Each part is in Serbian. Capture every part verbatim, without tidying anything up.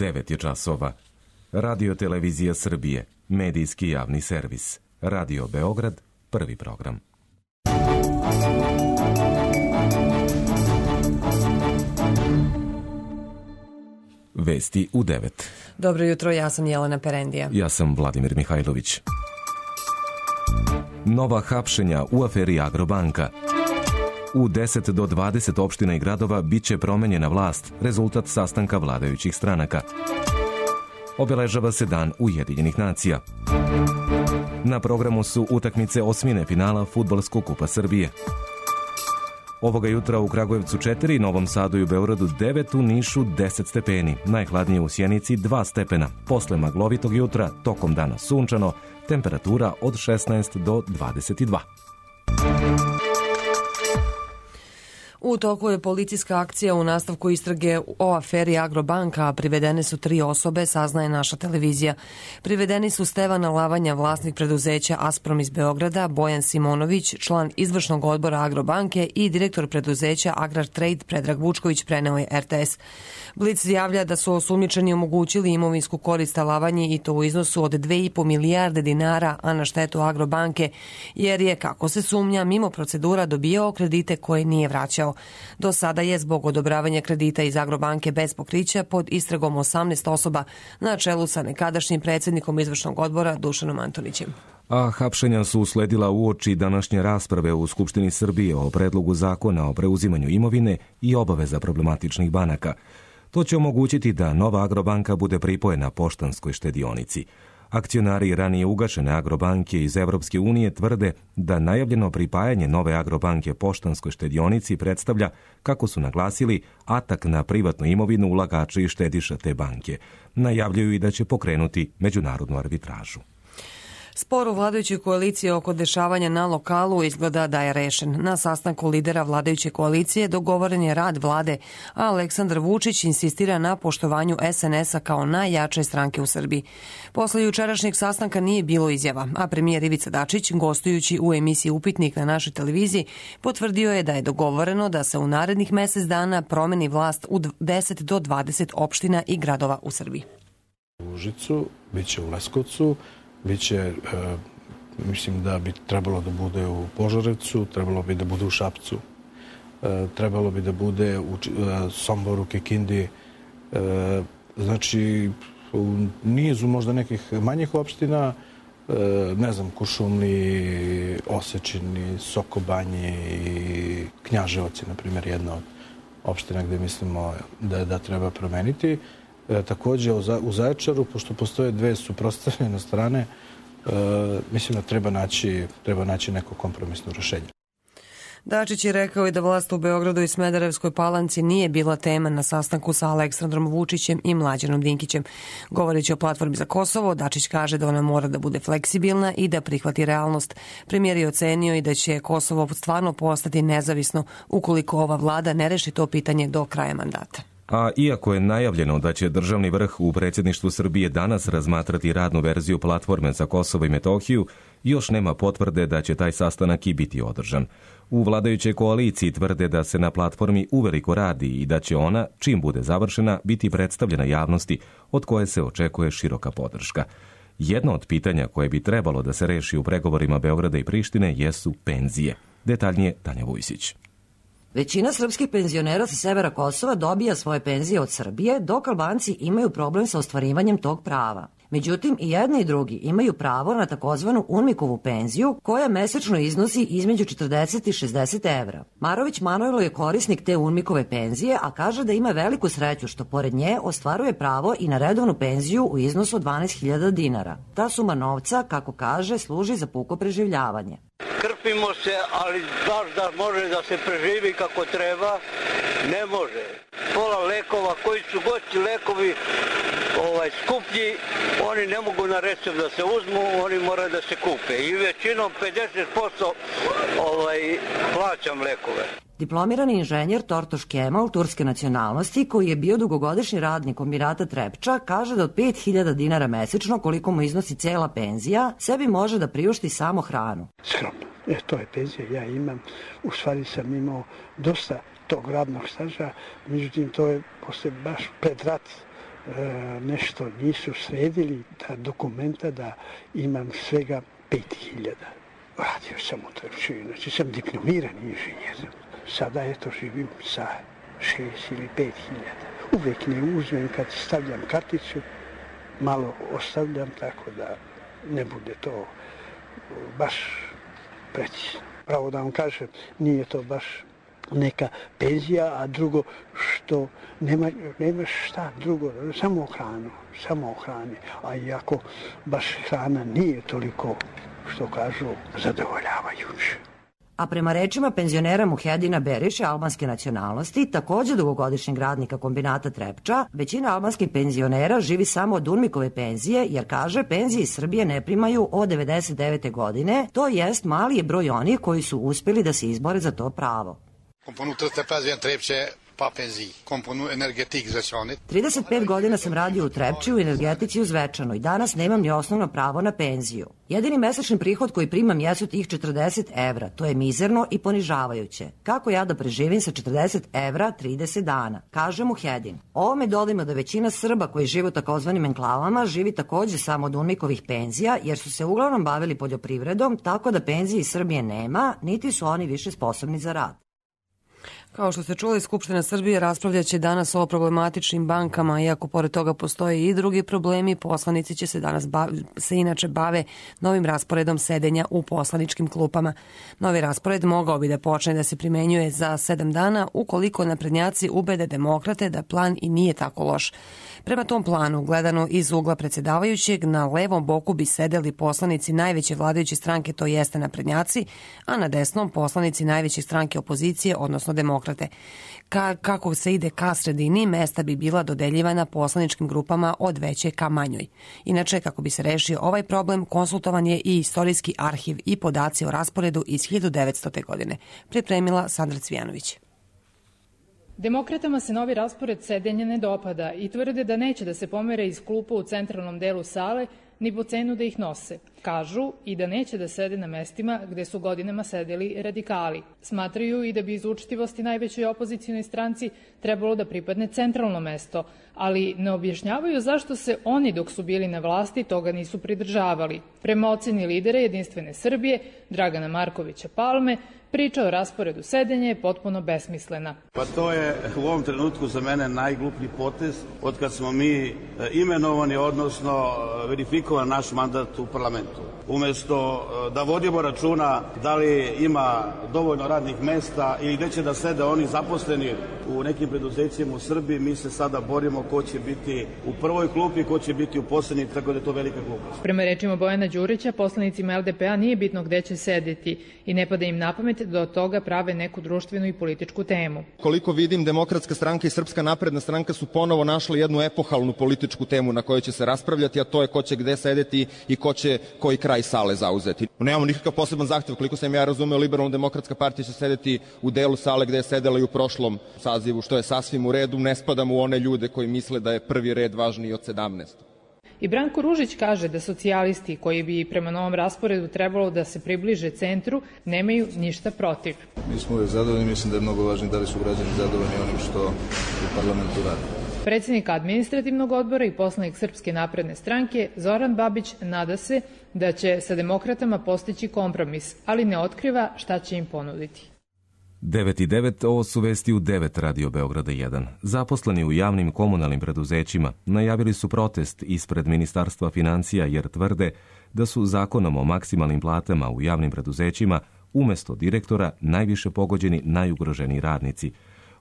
devet je časova. Radio Televizija Srbije, medijski javni servis. Radio Beograd, prvi program. Vesti u devet. Dobro jutro, ja sam Jelena Perendija. Ja sam Vladimir Mihajlović. Nova hapšenja u aferi Agrobanka. U deset do dvadeset opština i gradova biće promenjena vlast, rezultat sastanka vladajućih stranaka. Obeležava se Dan Ujedinjenih nacija. Na programu su utakmice osmine finala Fudbalskog kupa Srbije. Ovoga jutra u Kragujevcu četiri, Novom Sadu i u Beogradu devet, u Nišu deset stepeni, najhladnije u Sjenici dva stepena. Posle maglovitog jutra, tokom dana sunčano, temperatura od šesnaest do dvadeset dva. U toku je policijska akcija u nastavku istrage o aferi Agrobanka, a privedene su tri osobe, saznaje naša televizija. Privedeni su Stevana Lavanja, vlasnik preduzeća Asprom iz Beograda, Bojan Simonović, član izvršnog odbora Agrobanke i direktor preduzeća Agrar Trade Predrag Vučković, preneo je R T S. Blic javlja da su osumnjičeni omogućili imovinsku korist Lavanji i to u iznosu od dve i po milijarde dinara, a na štetu Agrobanke, jer je, kako se sumnja, mimo procedura dobijao kredite koje nije vraćao. Do sada je zbog odobravanja kredita iz Agrobanke bez pokrića pod istragom osamnaest osoba na čelu sa nekadašnjim predsjednikom izvršnog odbora Dušanom Antonićem. A hapšenja su usledila uoči današnje rasprave u Skupštini Srbije o predlogu zakona o preuzimanju imovine i obaveza problematičnih banaka. To će omogućiti da nova Agrobanka bude pripojena Poštanskoj štedionici. Akcionari ranije ugašene Agrobanke iz Evropske unije tvrde da najavljeno pripajanje nove Agrobanke Poštanskoj štedionici predstavlja, kako su naglasili, atak na privatnu imovinu ulagača i štediša te banke. Najavljuju i da će pokrenuti međunarodnu arbitražu. Spor u vladajućoj koaliciji oko dešavanja na lokalu izgleda da je rešen. Na sastanku lidera vladajuće koalicije dogovoren je rad vlade, a Aleksandar Vučić insistira na poštovanju S N S-a kao najjače stranke u Srbiji. Posle jučerašnjeg sastanka nije bilo izjava, a premijer Ivica Dačić, gostujući u emisiji Upitnik na našoj televiziji, potvrdio je da je dogovoreno da se u narednih mesec dana promeni vlast u deset do dvadeset opština i gradova u Srbiji. U Užicu, bit će u Leskovcu, biće, e, mislim da bi trebalo da bude u Požarevcu, trebalo bi da bude u Šapcu, e, trebalo bi da bude u e, Somboru, Kikindi, e, znači u nizu možda nekih manjih opština, e, ne znam, Kuršumliji, Osečini, Sokobanji i Knjaževac je, na primjer, jedna od opština gde mislimo da, da treba promeniti. E, takođe u Zaječaru, pošto postoje dve suprotstavljene strane, e, mislim da treba naći, treba naći neko kompromisno rešenje. Dačić je rekao i da vlast u Beogradu i Smederevskoj Palanci nije bila tema na sastanku sa Aleksandrom Vučićem i Mlađanom Dinkićem. Govoreći o platformi za Kosovo, Dačić kaže da ona mora da bude fleksibilna i da prihvati realnost. Premijer je ocenio i da će Kosovo stvarno postati nezavisno ukoliko ova vlada ne reši to pitanje do kraja mandata. A iako je najavljeno da će državni vrh u predsjedništvu Srbije danas razmatrati radnu verziju platforme za Kosovo i Metohiju, još nema potvrde da će taj sastanak i biti održan. U vladajućoj koaliciji tvrde da se na platformi uveliko radi i da će ona, čim bude završena, biti predstavljena javnosti, od koje se očekuje široka podrška. Jedno od pitanja koje bi trebalo da se reši u pregovorima Beograda i Prištine jesu penzije. Detaljnije Tanja Vujsić. Većina srpskih penzionera sa severa Kosova dobija svoje penzije od Srbije, dok Albanci imaju problem sa ostvarivanjem tog prava. Međutim, i jedni i drugi imaju pravo na takozvanu UNMIK-ovu penziju, koja mesečno iznosi između četrdeset i šezdeset evra. Marović Manojlo je korisnik te UNMIK-ove penzije, a kaže da ima veliku sreću što pored nje ostvaruje pravo i na redovnu penziju u iznosu od dvanaest hiljada dinara. Ta suma novca, kako kaže, služi za puko preživljavanje. Krpimo se, ali baš da može da se preživi kako treba, ne može. Pola lekova, koji su gosti lekovi ovaj, skuplji, oni ne mogu na recept da se uzmu, oni moraju da se kupe. I većinom pedeset posto ovaj, plaćam lekove. Diplomirani inženjer Tortoš Kemal, turske nacionalnosti, koji je bio dugogodišnji radnik kombinata Trepča, kaže da od pet hiljada dinara mesečno, koliko mu iznosi cela penzija, sebi može da priušti samo hranu. Skromno. E, to je penzija, ja imam. U stvari sam imao dosta tog radnog staža, međutim to je posle baš pred rat nešto nisu sredili ta dokumenta da imam svega pet hiljada. Radio sam u Trepču, znači sam diplomirani inženjer. Sada eto živim sa šest ili pet hiljada. Uvek ne uzmem kad stavljam karticu, malo ostavljam tako da ne bude to baš precizno. Pravo da vam kažem, nije to baš neka penzija, a drugo što nema, nema šta drugo, samo hranu, samo hrani. A iako baš hrana nije toliko, što kažu, zadovoljavajuće. A prema rečima penzionera Muhedina Beriše albanske nacionalnosti, takođe dugogodišnjeg radnika kombinata Trepča, većina albanskih penzionera živi samo od UNMIK-ove penzije, jer kaže penzije iz Srbije ne primaju od devedeset devete godine, to jest mali je broj onih koji su uspeli da se izbore za to pravo. trideset pet godina sam radio u Trepči u energetici u Zvečanu i danas nemam ni osnovno pravo na penziju. Jedini mesečni prihod koji primam jesu tih četrdeset evra, to je mizerno i ponižavajuće. Kako ja da preživim sa četrdeset evra trideset dana, kaže Muhedin. Ovome dodajmo da većina Srba koji žive u takozvanim enklavama živi takođe samo od UNMIK-ovih penzija, jer su se uglavnom bavili poljoprivredom, tako da penzije iz Srbije nema, niti su oni više sposobni za rad. Kao što ste čuli, Skupština Srbije raspravljaće danas o problematičnim bankama, iako pored toga postoje i drugi problemi. Poslanici će se danas bav, se inače bave novim rasporedom sedenja u poslaničkim klupama. Novi raspored mogao bi da počne da se primenjuje za sedam dana ukoliko naprednjaci ubede demokrate da plan i nije tako loš. Prema tom planu, gledano iz ugla predsjedavajućeg, na levom boku bi sedeli poslanici najveće vladajuće stranke, to jeste naprednjaci, a na desnom poslanici najveće stranke opozicije, odnosno demokrate. Ka, kako se ide ka sredini, mesta bi bila dodeljivana poslaničkim grupama od veće ka manjoj. Inače, kako bi se rešio ovaj problem, konsultovan je i istorijski arhiv i podaci o rasporedu iz hiljadu devetstote. godine. Pripremila Sandra Cvijanović. Demokratama se novi raspored sedenja ne dopada i tvrde da neće da se pomere iz klupa u centralnom delu sale ni po cenu da ih nose. Kažu i da neće da sede na mestima gde su godinama sedeli radikali. Smatraju i da bi iz učtivosti najvećoj opozicijnoj stranci trebalo da pripadne centralno mesto, ali ne objašnjavaju zašto se oni dok su bili na vlasti toga nisu pridržavali. Prema oceni lidera Jedinstvene Srbije, Dragana Markovića Palme, priča o rasporedu sedenja je potpuno besmislena. Pa to je u ovom trenutku za mene najgluplji potez od kad smo mi imenovani, odnosno verifikovan naš mandat u parlamentu. Umesto da vodimo računa da li ima dovoljno radnih mesta ili gde će da sede oni zaposleni u nekim preduzećima u Srbiji, mi se sada borimo ko će biti u prvoj klupi, ko će biti u poslednji, tako da je to velika glupost. Prema rečima Bojana Đurića, poslanicima L D P-a nije bitno gde će sedeti i ne pada im na pamet da od toga prave neku društvenu i političku temu. Koliko vidim, Demokratska stranka i Srpska napredna stranka su ponovo našli jednu epohalnu političku temu na kojoj će se raspravljati, a to je ko će gde sedeti i ko će koji kraj sale zauzeti. Nemamo nikakav poseban zahtev, koliko sam ja razumeo, Liberalno demokratska partija će sedeti u delu sale gde je sedela i u prošlom sazivu, što je sasvim u redu, ne spadamo u one ljude koji misle da je prvi red važniji od sedamnaest. I Branko Ružić kaže da socijalisti, koji bi prema novom rasporedu trebalo da se približe centru, nemaju ništa protiv. Mi smo uvijek zadovoljni, mislim da je mnogo važno da li su građani zadovoljni onim što u parlamentu radi. Predsednik administrativnog odbora i poslanik Srpske napredne stranke Zoran Babić nada se da će sa demokratama postići kompromis, ali ne otkriva šta će im ponuditi. devet i devet, ovo su vesti u devet Radio Beograda jedan. Zaposleni u javnim komunalnim preduzećima najavili su protest ispred Ministarstva financija jer tvrde da su zakonom o maksimalnim platama u javnim preduzećima umesto direktora najviše pogođeni najugroženiji radnici.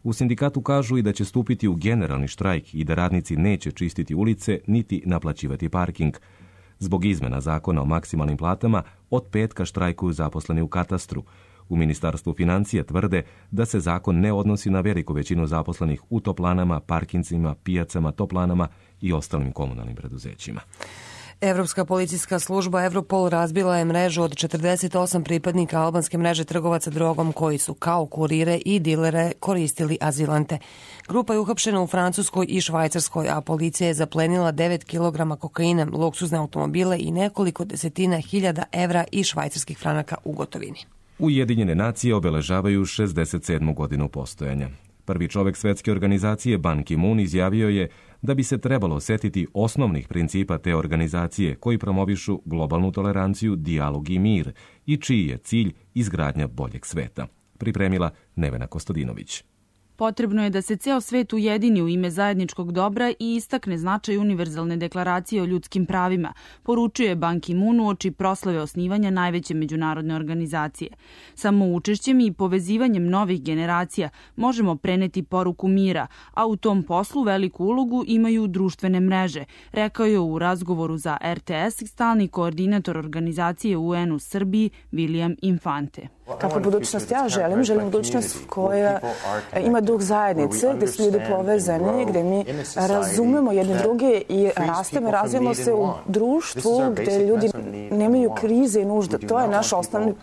U sindikatu kažu i da će stupiti u generalni štrajk i da radnici neće čistiti ulice niti naplaćivati parking. Zbog izmena zakona o maksimalnim platama od petka štrajkuju zaposleni u katastru. U Ministarstvu financija tvrde da se zakon ne odnosi na veliku većinu zaposlenih u toplanama, parkincima, pijacama, toplanama i ostalim komunalnim preduzećima. Evropska policijska služba Europol razbila je mrežu od četrdeset osam pripadnika albanske mreže trgovaca drogom koji su kao kurire i dilere koristili azilante. Grupa je uhapšena u Francuskoj i Švajcarskoj, a policija je zaplenila devet kilograma kokaina, luksuzne automobile i nekoliko desetina hiljada evra i švajcarskih franaka u gotovini. Ujedinjene nacije obeležavaju šezdeset sedmu godinu postojanja. Prvi čovek svetske organizacije Ban Ki-moon izjavio je da bi se trebalo setiti osnovnih principa te organizacije koji promovišu globalnu toleranciju, dijalog i mir i čiji je cilj izgradnja boljeg sveta. Pripremila Nevena Kostadinović. Potrebno je da se ceo svet ujedini u ime zajedničkog dobra i istakne značaj univerzalne deklaracije o ljudskim pravima, poručuje Ban Ki-moon uoči proslave osnivanja najveće međunarodne organizacije. Samo učešćem i povezivanjem novih generacija možemo preneti poruku mira, a u tom poslu veliku ulogu imaju društvene mreže, rekao je u razgovoru za R T S stalni koordinator organizacije U N u Srbiji William Infante. Kakvu budućnost ja želim? Želim budućnost koja ima duh zajednice, gde su ljudi povezani, gde mi razumemo jedne druge i rastemo i razvijemo se u društvu gde ljudi nemaju krize i nužde. To je naš osnovni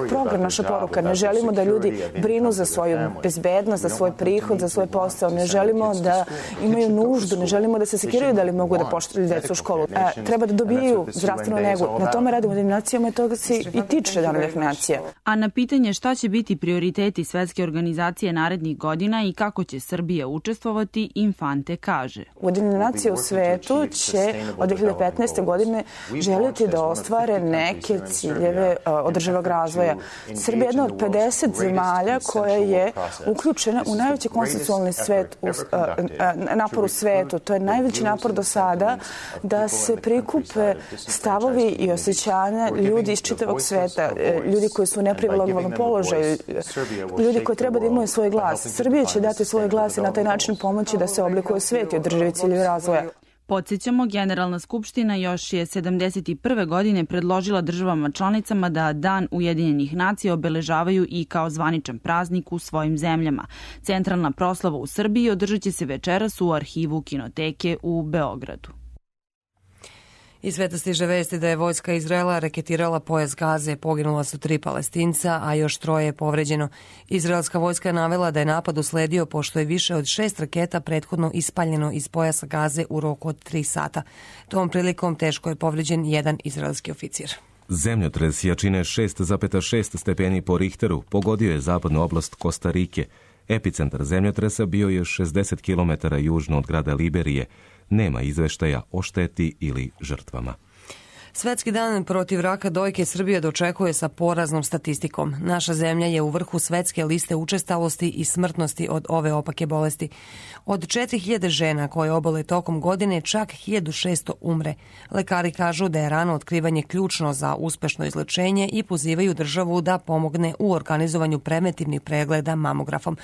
program, naša poruka. Ne želimo da ljudi brinu za svoju bezbednost, za svoj prihod, za svoj posao. Ne želimo da imaju nuždu, ne želimo da se sekiraju da li mogu da pošalju decu u školu. Treba da dobiju zdravstvenu negu. Na tome radimo definicijama i toga se i tiče dana definicija. A na pitanje šta će biti prioriteti Svetske organizacije narednih godina i kako će Srbija učestvovati, Infante kaže. Ujedinjene nacije u svetu će od dve hiljade petnaeste. godine želiti da ostvare neke ciljeve održivog razvoja. Srbija je jedna od pedeset zemalja koja je uključena u najveći konsensualni svet, u, napor u svetu. To je najveći napor do sada da se prikupe stavovi i osjećanja ljudi iz čitavog sveta, ljudi koji su u neprivilegovanom položaju, ljudi koji treba da imaju svoj glas. Srbija će dati svoj glas i na taj način pomoći da se oblikuje svet i održivi ciljevi razvoja. Podsjećamo, Generalna skupština još je sedamdeset prve. godine predložila državama članicama da Dan Ujedinjenih nacija obeležavaju i kao zvaničan praznik u svojim zemljama. Centralna proslava u Srbiji održat će se večeras u arhivu Kinoteke u Beogradu. Iz sveta stiže vesti da je vojska Izraela raketirala pojas Gaze, poginula su tri Palestinca, a još troje je povređeno. Izraelska vojska je navela da je napad usledio pošto je više od šest raketa prethodno ispaljeno iz pojasa Gaze u roku od tri sata. Tom prilikom teško je povređen jedan izraelski oficir. Zemljotres jačine šest zarez šest stepeni po Richteru pogodio je zapadnu oblast Kostarike. Epicentar zemljotresa bio je šezdeset kilometara južno od grada Liberije. Nema izveštaja o šteti ili žrtvama. Svetski dan protiv raka dojke Srbija dočekuje sa poraznom statistikom. Naša zemlja je u vrhu svetske liste učestalosti i smrtnosti od ove opake bolesti. Od četiri hiljade žena koje obole tokom godine, čak hiljadu šesto umre. Lekari kažu da je rano otkrivanje ključno za uspešno izlečenje i pozivaju državu da pomogne u organizovanju preventivnih pregleda mamografom.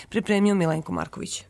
Pripremio Milenko Marković.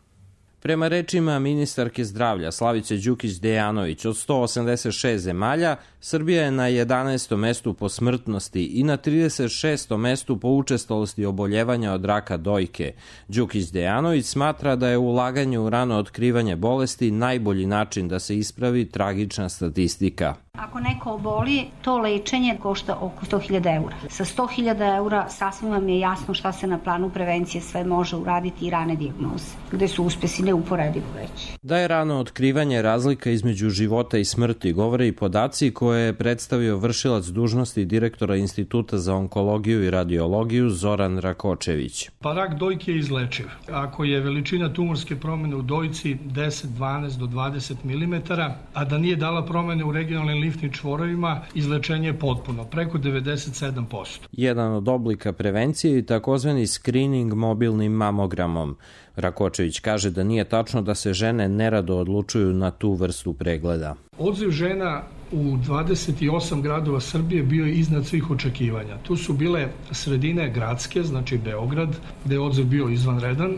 Prema rečima ministarke zdravlja Slavice Đukić Dejanović, od sto osamdeset šest zemalja, Srbija je na jedanaestom mestu po smrtnosti i na trideset šestom mestu po učestalosti oboljevanja od raka dojke. Đukić Dejanović smatra da je ulaganje u rano otkrivanje bolesti najbolji način da se ispravi tragična statistika. Ako neko oboli, to lečenje košta oko sto hiljada eura. Sa sto hiljada eura sasvim vam je jasno šta se na planu prevencije sve može uraditi i rane dijagnoze, gde su uspesi neuporedivo veći. Da je rano otkrivanje razlika između života i smrti govore i podaci koje je predstavio vršilac dužnosti direktora Instituta za onkologiju i radiologiju Zoran Rakočević. Pa rak dojke je izlečiv. Ako je veličina tumorske promene u dojci deset, dvanaest do dvadeset milimetara, a da nije dala promene u regionalnim limfnim čvorovima, izlečenje je potpuno, preko devedeset sedam posto. Jedan od oblika prevencije je takozvani screening mobilnim mamogramom. Rakočević kaže da nije tačno da se žene nerado odlučuju na tu vrstu pregleda. Odziv žena u dvadeset osam gradova Srbije bio je iznad svih očekivanja. Tu su bile sredine gradske, znači Beograd, gde je odziv bio izvanredan,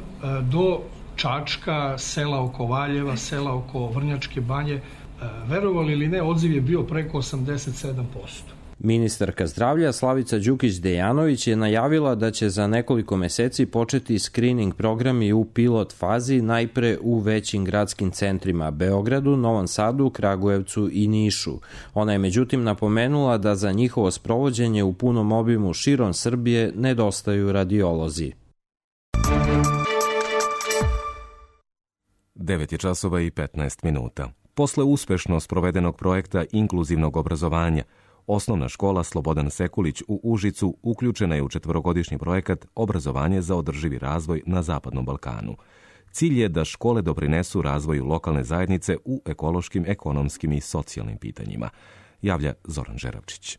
do Čačka, sela oko Valjeva, sela oko Vrnjačke banje. Verovali ili ne, odziv je bio preko osamdeset sedam posto. Ministarka zdravlja Slavica Đukić Dejanović je najavila da će za nekoliko meseci početi screening programi u pilot fazi najpre u većim gradskim centrima Beogradu, Novom Sadu, Kragujevcu i Nišu. Ona je međutim napomenula da za njihovo sprovođenje u punom obimu širom Srbije nedostaju radiolozi. devet je časova i petnaest minuta. Posle uspešno sprovedenog projekta inkluzivnog obrazovanja, Osnovna škola Slobodan Sekulić u Užicu uključena je u četvorogodišnji projekat Obrazovanje za održivi razvoj na Zapadnom Balkanu. Cilj je da škole doprinesu razvoju lokalne zajednice u ekološkim, ekonomskim i socijalnim pitanjima, javlja Zoran Žeravčić.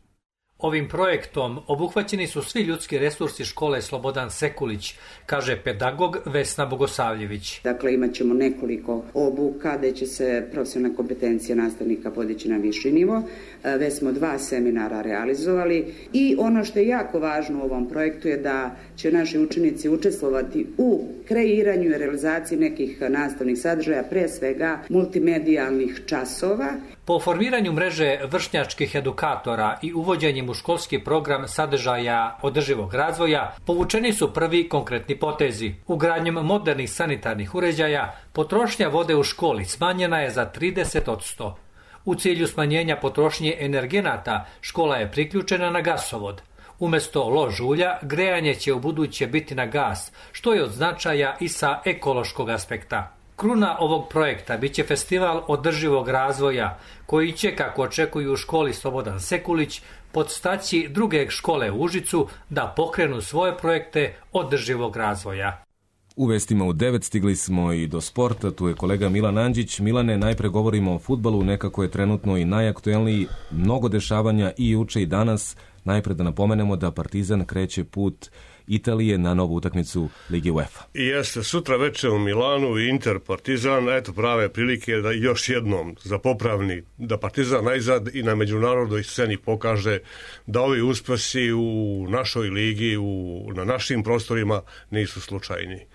Ovim projektom obuhvaćeni su svi ljudski resursi škole Slobodan Sekulić, kaže pedagog Vesna Bogosavljević. Dakle, imat ćemo nekoliko obuka gde će se profesionalna kompetencija nastavnika podići na viši nivo. Već smo dva seminara realizovali i ono što je jako važno u ovom projektu je da će naši učenici učestvovati u kreiranju i realizaciji nekih nastavnih sadržaja, pre svega multimedijalnih časova. Po formiranju mreže vršnjačkih edukatora i uvođenjem u školski program sadržaja održivog razvoja povučeni su prvi konkretni potezi. Ugradnjom modernih sanitarnih uređaja potrošnja vode u školi smanjena je za trideset posto. U cilju smanjenja potrošnje energenata škola je priključena na gasovod. Umesto lož ulja, grejanje će u buduće biti na gas, što je od značaja i sa ekološkog aspekta. Kruna ovog projekta biće festival održivog razvoja, koji će, kako očekuju u školi Slobodan Sekulić, podstaći druge škole u Užicu da pokrenu svoje projekte održivog razvoja. U vestima u devet stigli smo i do sporta, tu je kolega Milan Andžić. Milane, najpre govorimo o fudbalu, nekako je trenutno i najaktuelniji, mnogo dešavanja i juče i danas. Najpre da napomenemo da Partizan kreće put Italije na novu utakmicu Lige UEFA. I jeste, sutra veče u Milanu Inter Partizan, eto prave prilike da još jednom za popravni, da Partizan najzad i na međunarodnoj sceni pokaže da ovi uspesi u našoj ligi, u, na našim prostorima nisu slučajni.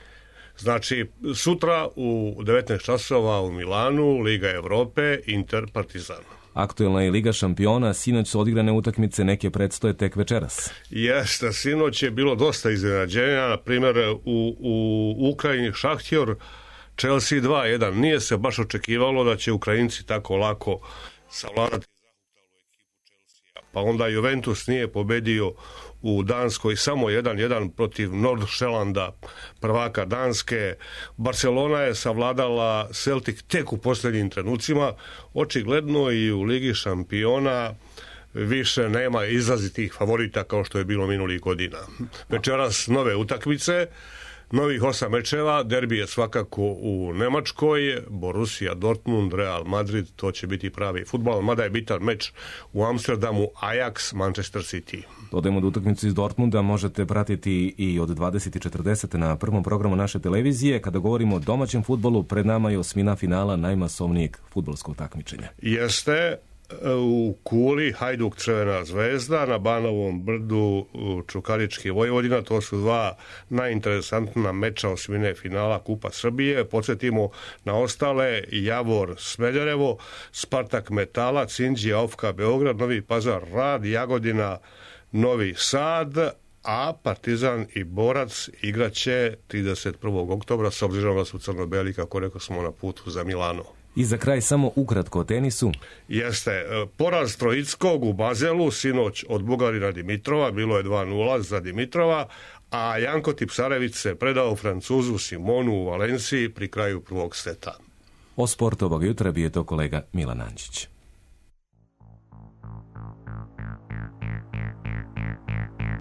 Znači, sutra u devetnaest časova u Milanu, Liga Evrope, Inter Partizan. Aktuelna je Liga šampiona, sinoć su odigrane utakmice, neke predstoje tek večeras. Jeste, sinoć je bilo dosta iznenađenja, na primjer u, u Ukrajini Šahtjor, Chelsea dva jedan. Nije se baš očekivalo da će Ukrajinci tako lako savladati zahutalu ekipu Chelsea. Pa onda Juventus nije pobedio u Danskoj samo jedan jedan protiv Nordsjælanda, prvaka Danske. Barcelona je savladala Celtic tek u posljednjim trenucima. Očigledno i u Ligi šampiona više nema izrazitih favorita kao što je bilo minulih godina. Večeras nove utakmice, novih osam mečeva, derbi je svakako u Nemačkoj, Borussia Dortmund, Real Madrid, to će biti pravi fudbal, mada je bitan meč u Amsterdamu, Ajax, Manchester City. Dodajemo da utakmicu iz Dortmunda možete pratiti i od dvadeset i četrdeset na prvom programu naše televizije. Kada govorimo o domaćem fudbalu, pred nama je osmina finala najmasovnijeg fudbalskog takmičenja. Jeste, u Kuli Hajduk Crvena zvezda, na Banovom brdu Čukarički Vojvodina, to su dva najinteresantna meča osmine finala Kupa Srbije. Podsjetimo na ostale: Javor Smederevo, Spartak Metala, Cinđija Ofka Beograd, Novi Pazar Rad, Jagodina Novi Sad, a Partizan i Borac igraće trideset prvog oktobra, s obzirom da su crno-beli, kako rekao smo, na putu za Milano. I za kraj samo ukratko o tenisu. Jeste, poraz Trojickog u Bazelu sinoć od Bugarina Dimitrova, bilo je dva nula za Dimitrova, a Janko Tipsarević se predao Francuzu Simonu u Valenciji pri kraju prvog seta. O sportu ovog jutra bio je to kolega Milan Andžić.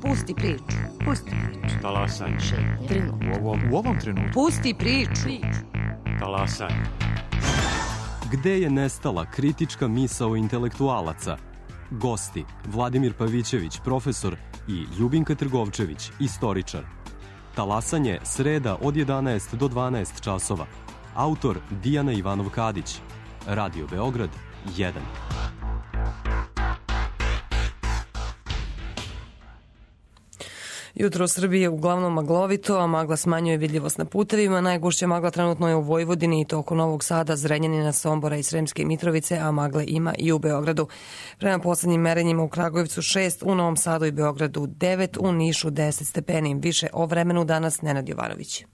Pusti priču. Pusti priču. Talasaj. U ovom, u ovom trenutku. Pusti priču. Talasaj. Gde je nestala kritička misao intelektualaca? Gosti: Vladimir Pavićević, profesor, i Ljubinka Trgovčević, istoričar. Talasanje, sreda od jedanaest do dvanaest časova. Autor Dijana Ivanov-Kadić. Radio Beograd jedan. Jutro u Srbiji je uglavnom maglovito, a magla smanjuje vidljivost na putevima. Najgušća magla trenutno je u Vojvodini i to oko Novog Sada, Zrenjanina, Sombora i Sremske Mitrovice, a magle ima i u Beogradu. Prema poslednjim merenjima u Kragujevcu šest, u Novom Sadu i Beogradu devet, u Nišu deset stepeni. Više o vremenu danas Nenad Jovanović.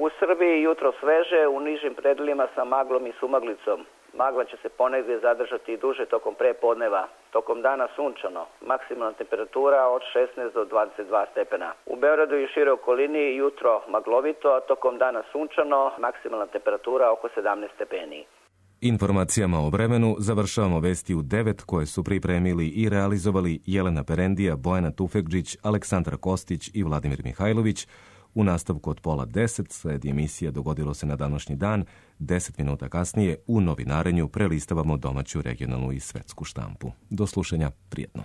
U Srbiji jutro sveže, u nižim predelima sa maglom i sumaglicom. Magla će se ponegdje zadržati i duže tokom prepodneva. Tokom dana sunčano, maksimalna temperatura od šesnaest do dvadeset dva stepena. U Beogradu i šire okolini jutro maglovito, a tokom dana sunčano, maksimalna temperatura oko sedamnaest stepeni. Informacijama o vremenu završavamo vesti u devet koje su pripremili i realizovali Jelena Perendija, Bojana Tufekđić, Aleksandra Kostić i Vladimir Mihajlović. U nastavku od pola deset sledi emisija Dogodilo se na današnji dan. Deset minuta kasnije u novinarenju prelistavamo domaću, regionalnu i svetsku štampu. Do slušanja, prijetno.